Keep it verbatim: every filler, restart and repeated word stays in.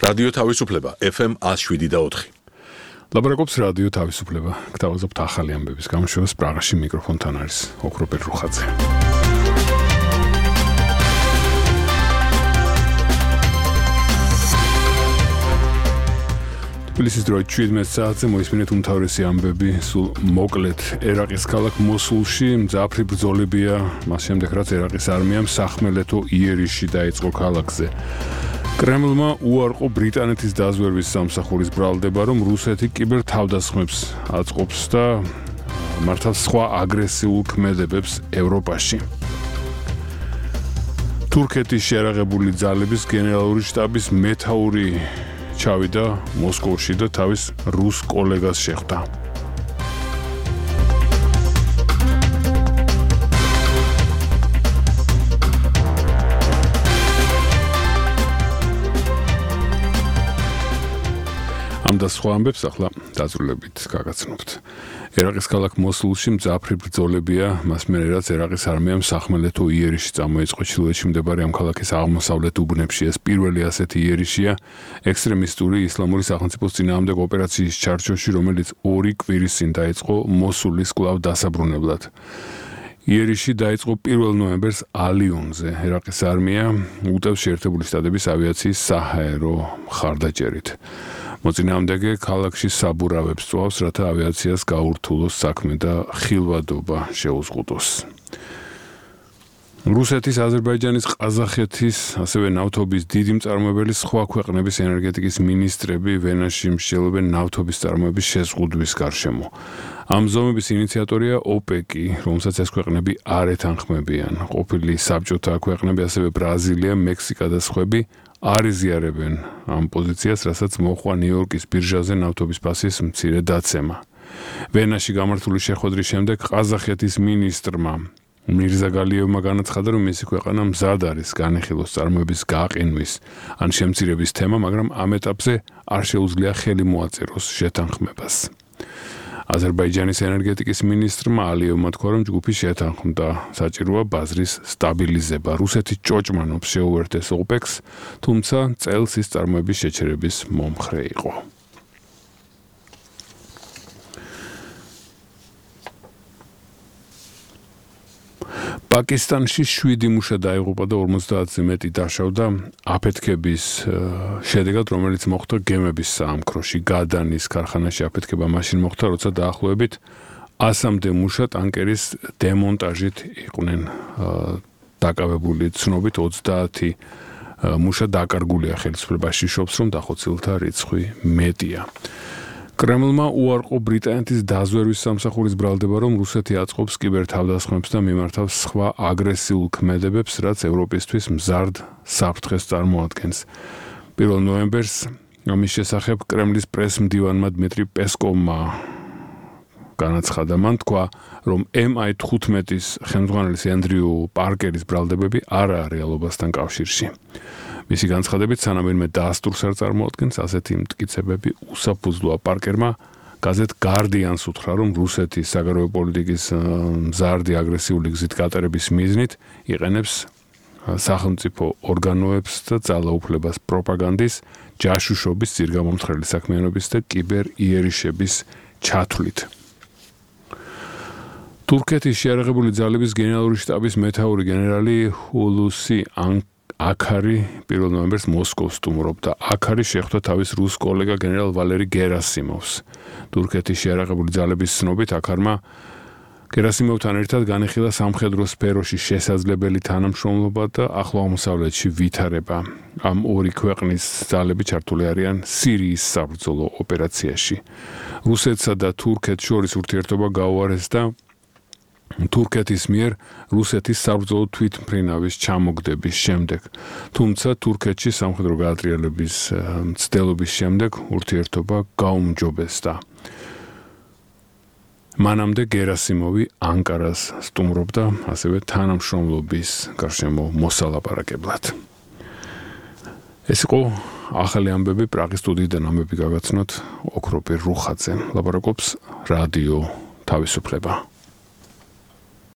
რადიო თავისუფლება F M one oh seven და four. ლაბორატორიის რადიო თავისუფლება. გთავაზობთ ახალი ამბების გამოშვებას პრაღაში მიკროფონთან არის ოქროპერ რუხაძე. თბილისის დროით შვიდმეტ საათზე მოისმინეთ უმთავრესი ამბები, სულ მოკლედ ერაყის ქალაქ მოსულში მძაფრი ბრძოლებია, მას შემდეგ რაც ერაყის არმიამ სახმელეთო იერიში დაიწყო ქალაქზე. კრემლმა უარყო ბრიტანეთის დაზვერვის სამსახურის ბრალდება, რომ რუსეთი კიბერ თავდასხმებს აწყობს და მართავს სხვა აგრესიულ ქმედებებს ევროპაში. თურქეთის შეერაღებული ძალების გენერალური შტაბის მეთაური ჩავიდა მოსკოვში და თავის რუს კოლეგას შეხვდა. ამ და სხვა ამბებს ახლა დაწვრილებით გაგაცნობთ. ერაყის ქალაქ მოსულში მძაფრი ბრძოლებია, მას მერე რაც ერაყის არმიამ სახმელეთო იერიში წამოიწყო ჩრდილოეთში მდებარე ამ ქალაქის აღმოსავლეთ უბნებში. ეს პირველი ასეთი იერიშია ექსტრემისტური ისლამური სახელმწიფოს წინააღმდეგ ოპერაციის ჩარჩოში, რომელიც ორი კვირის წინ დაიწყო მოსულის კვლავ დასაბრუნებლად. იერიში დაიწყო პირველ ნოემბერს ალიონზე. ერაყის არმია უტევს შეერთებული შტატების ავიაციის საჰაერო მხარდაჭერით. მოწინააღმდეგე ქალაქში საბურავებს წვავს, რათა ავიაციას გაურთულოს საქმე და ხილვადობა შეუზღუდოს. რუსეთის, აზერბაიჯანის, ყაზახეთის, ასევე ნავთობის დიდი მწარმოებელი სხვა ქვეყნების ენერგეტიკის მინისტრები ვენაში მსჯელობენ ნავთობის წარმოების შეზღუდვის გარშემო. ამ ზომების ინიციატორია ოპეკი, რომელსაც ეს ქვეყნები არ ეთანხმებიან. ყოფილი საბჭოთა ქვეყნები, ასევე ბრაზილია, მექსიკა და სხვები არ იზიარებენ ამ პოზიციას, რასაც მოხვა ნიუ-იორკის ბირჟაზე ნავთობის ფასის მცირე დაცემა. ვენაში გამართული შეხვედრის შემდეგ ყაზახეთის მინისტრმა მირზაგალიევმა განაცხადა, რომ მისი ქვეყანა მზად არის განეხილოს წარმოების გაყინვის ან შემცირების თემა, მაგრამ ამ ეტაპზე არ შეუძლია ხელი მოაწეროს შეთანხმებას. აზერბაიჯანის ენერგეტიკის მინისტრმა ალიევმა თქვა, რომ ჯგუფი შეთანხმდა, საჭიროა ბაზრის სტაბილიზება. რუსეთი ჭოჭმანობს შეუერთდეს ოპეკს, თუმცა წელს ის წარმოების შეჩერების მომხრე იყო. პაკისტანში შვიდი მუშა დაიღუპა და ორმოცდაათზე მეტი დაშავდა აფეთქების შედეგად, რომელიც მოხდა გემების საამქროში. გადანის ქარხანაში აფეთქება მაშინ მოხდა, როცა დაახლოებით ასამდე მუშა ტანკერის დემონტაჟით იყვნენ დაკავებული. ცნობით ოცდაათი მუშა დაკარგულია ხელისუფლებაში, შობს, რომ დახოცილთა რიცხვი მეტია. კრემლმა უარყო ბრიტანეთის დაზვერვის სამსახურის ბრალდება, რომ რუსეთი აწყობს კიბერ თავდასხმებს და მიმართავს სხვა აგრესიულ ქმედებებს, რაც ევროპისთვის მზარდ საფრთხეს წარმოადგენს. პირველ ნოემბერს ამის შესახებ კრემლის პრეს-მდივანმა დმიტრი პესკოვმა განაცხადა. მან თქვა, რომ M I fifteen-ის ხელმძღვანელის ენდრიუ პარკერის ბრალდებები არაა რეალობასთან კავშირში. მისი განცხადებით, სანამ ვინმე დაასტურს არ წარმოადგენს, ასეთი მტკიცებები უსაფუძვლოა. პარკერმა გაზეთ Guardian-ს უთხრა, რომ რუსეთის საგარეო პოლიტიკის მზარდი აგრესიული გზით გატარების მიზნით იყენებს სახელმწიფო ორგანოებს და ძალაუფლებას პროპაგანდის, ჯაშუშობის, ძირგამომთხრელი საქმიანობის და კიბერ იერიშების ჩათვლით. თურქეთის შეერაღებული ძალების გენერალური შტაბის მეთაური გენერალი ჰულუსი აქარი პირველ ნოემბერს მოსკოვს სტუმრობდა. აქარი შეხვდა თავის რუს კოლეგა გენერალ ვალერი გერასიმოვს. თურქეთის შეერაღებული ძალების ცნობით აქარმა გერასიმოვთან ერთად განიხილა სამხედრო სფეროში შესაძლებელი თანამშრომლობა და ახლო აღმოსავლეთში ვითარება. ამ ორი ქვეყნის ძალები ჩართული არიან სირიის საბრძოლო ოპერაციაში. რუსეთსა და თურქეთს შორის ურთიერთობა გაუარეს და თურქეთის მიერ რუსეთის საბრძოლო თვითმფრინავის ჩამოგდების შემდეგ. თუმცა თურქეთში სამხედრო გაატრიალების მცდელობის შემდეგ ურთიერთობა გაუმჯობესდა. მანამდე გერასიმოვი ანკარას სტუმრობდა, ასევე თანამშრომლობის გარშემო მოსალაპარაკებლად. ეს იყო ახალი ამბები პრაღის სტუდიიდან ამბები გაგაცნოთ ოქროპერ რუხაძე. ლაპარაკობს რადიო თავისუფლება.